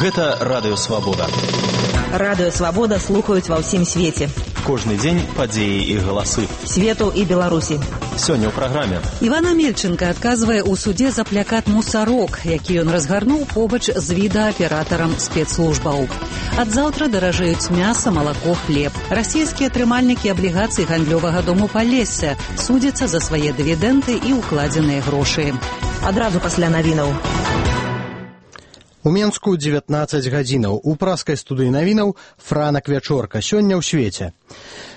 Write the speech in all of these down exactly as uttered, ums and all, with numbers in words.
Гэта Радыё Свабода. Радыё Свабода слухаюць ва ўсім свеце. Кожны дзень падзеі і галасы. Свету і Беларусі. Сёння ў праграме. Іван Амельченко адказвае ў судзе за плякат «Мусарок», які ён разгарнуў побач з відэааператарам спецслужбаў. Ад заўтра даражэюць мяса, малако, хлеб. Расійскія трымальнікі аблігацый гандлёвага дому Палесся судзяцца за свае дывідэнды і ўкладзеныя грошы. Адразу пасля навінаў. У Менску дзевятнаццаць гадзінаў. У праскай студыі навінаў «Франак Вячорка». Сёння ў свеце.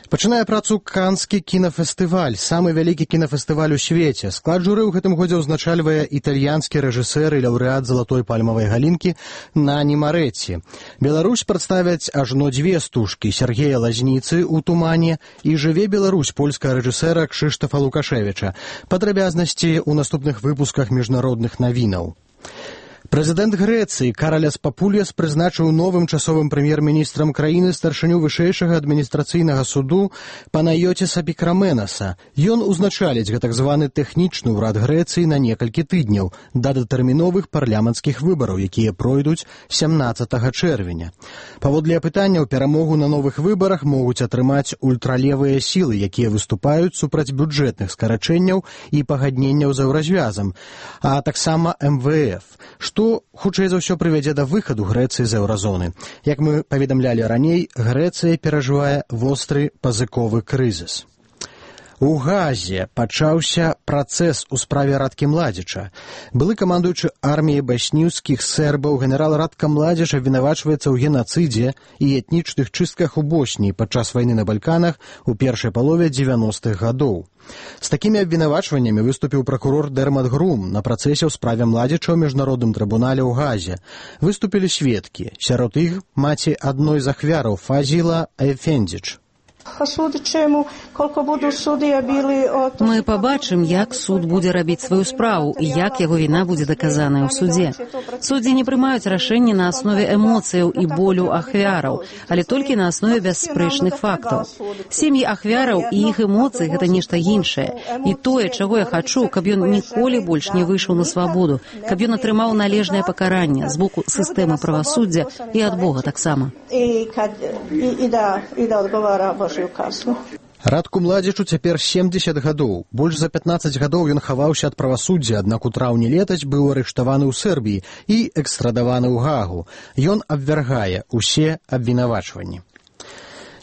Пачынае працу Канскі кінафестываль, самы вялікі кінафестываль у свеце. Склад журы ў гэтым годзе ўзначальвае італьянскі рэжысэр і лаўрэат залатой пальмавай галінкі Нані Марэцці. Беларусь прадставяць ажно дзве стужкі Сергея Лазніцы ў «Тумане» і «Жыве Беларусь» польскага рэжысэра Кшыштафа Лукашевіча. Падрабязнасці ў наступных выпусках міжнародных навінаў. Прэзідэнт Грэцыі Караляс Папуліяс прызначыў новым часовым прэм'ер-міністрам краіны старшыню вышэйшага адміністрацыйнага суду Панайотіса Пікраменаса. Ён узначаліць гэтак званы тэхнічны ўрад Грэцыі на некалькі тыдняў да датэрміновых парламенцкіх выбараў, якія пройдуць сямнаццатага чэрвеня. Паводле апытанняў, перамогу на новых выбарах могуць атрымаць ультралевыя сілы, якія выступаюць супраць бюджэтных скарачэнняў і пагадненняў з еўразвязам, а таксама эм вэ эф, што, хутчэй за ўсё, прывядзе да выхаду Грэцыі з еўразоны. Як мы паведамлялі раней, Грэцыя перажывае востры пазыковы крызіс. У Газе пачаўся працэс у справе Радкі Младзіча. Былы камандуючы арміяй басніўскіх сербаў генерал Радка Младзіч абвінавачваецца ў генацыдзе і этнічных чыстках у Боснії падчас вайны на Балканах у першай палове дзевяностых гадоў. З такімі абвінавачваннямі выступіў пракурор Дермат Грум на працэсе ў справе Младзіча ў міжнародным трыбунале ў Газе. Выступілі сведкі. Сярод іх маці адной з ахвяраў Фазіла Ефендзіч. Мы пабачым, як суд будзе рабіць сваю справу і як яго віна будзе даказаная ў судзе. Суддзі не прымаюць рашэнні на аснове эмоцыяў і болю ахвяраў, але толькі на аснове бясспрэчных фактаў. Сем'і ахвяраў і іх эмоцыі – гэта нешта іншае. І тое, чаго я хачу, каб ён ніколі больш не выйшаў на свабоду, каб ён атрымаў належнае пакаранне з боку сістэмы правасуддзя і ад Бога таксама. Радку Младзічу цяпер семдзесят гадоў. Больш за пятнаццаць гадоў ён хаваўся ад правасуддзя, аднак у траўні летась быў арыштаваны ў Сербіі і экстрадаваны ў Гаагу. Ён абвяргае ўсе абвінавачванні.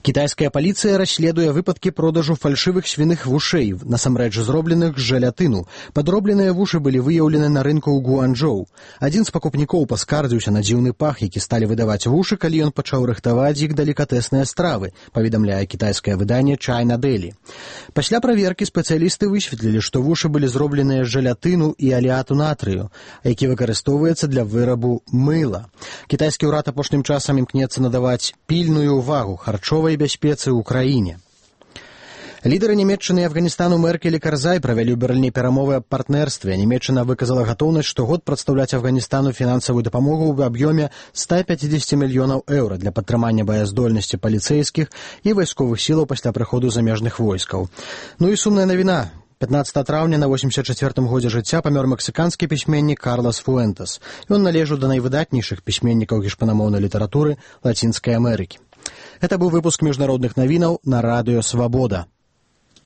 Кітайская паліцыя расследуе выпадкі продажу фальшывых свіных вушэй, насамрэч зробленых з жалятыну. Падробленыя вушы былі выяўлены на рынку ў Гуанчжоу. Адзін з пакупнікоў паскардзіўся на дзіўны пах, які сталі выдаваць вушы, калі ён пачаў рыхтаваць іх далікатэсныя стравы, паведамляе кітайскае выданне China Daily. Пасля праверкі спецыялісты высветлілі, што вушы былі зробленыя з жалятыну і алеату натрыю, які выкарыстоўваецца для вырабу мыла. Кітайскі ўрад апошнім часам імкнецца надаваць пільную ўвагу харчовай бяспецы ў краіне. Лідары Нямецчыны і Афганістану Меркель і Карзай правялі ў Берліне перамовы аб партнерстве. Нямецчына выказала гатоўнасць штогод прадстаўляць Афганістану фінансавую дапамогу ў аб'ёме ста пяцідзесяці мільёнаў еўра для падтрымання баяздольнасці паліцэйскіх і вайсковых сілаў пасля прыходу замежных войскаў. Ну і сумная навіна. пятнаццатага траўня на восемьдесят чацвёртым годзе жыцця памёр мексіканскі пісьменнік Карлас Фуэнтес. Ён належаў да найвыдатнейшых пісьменнікаў гішпанамоўнай літаратуры Лацінскай Амерыкі. Гэта быў выпуск міжнародных навінаў на Радыё Свабода.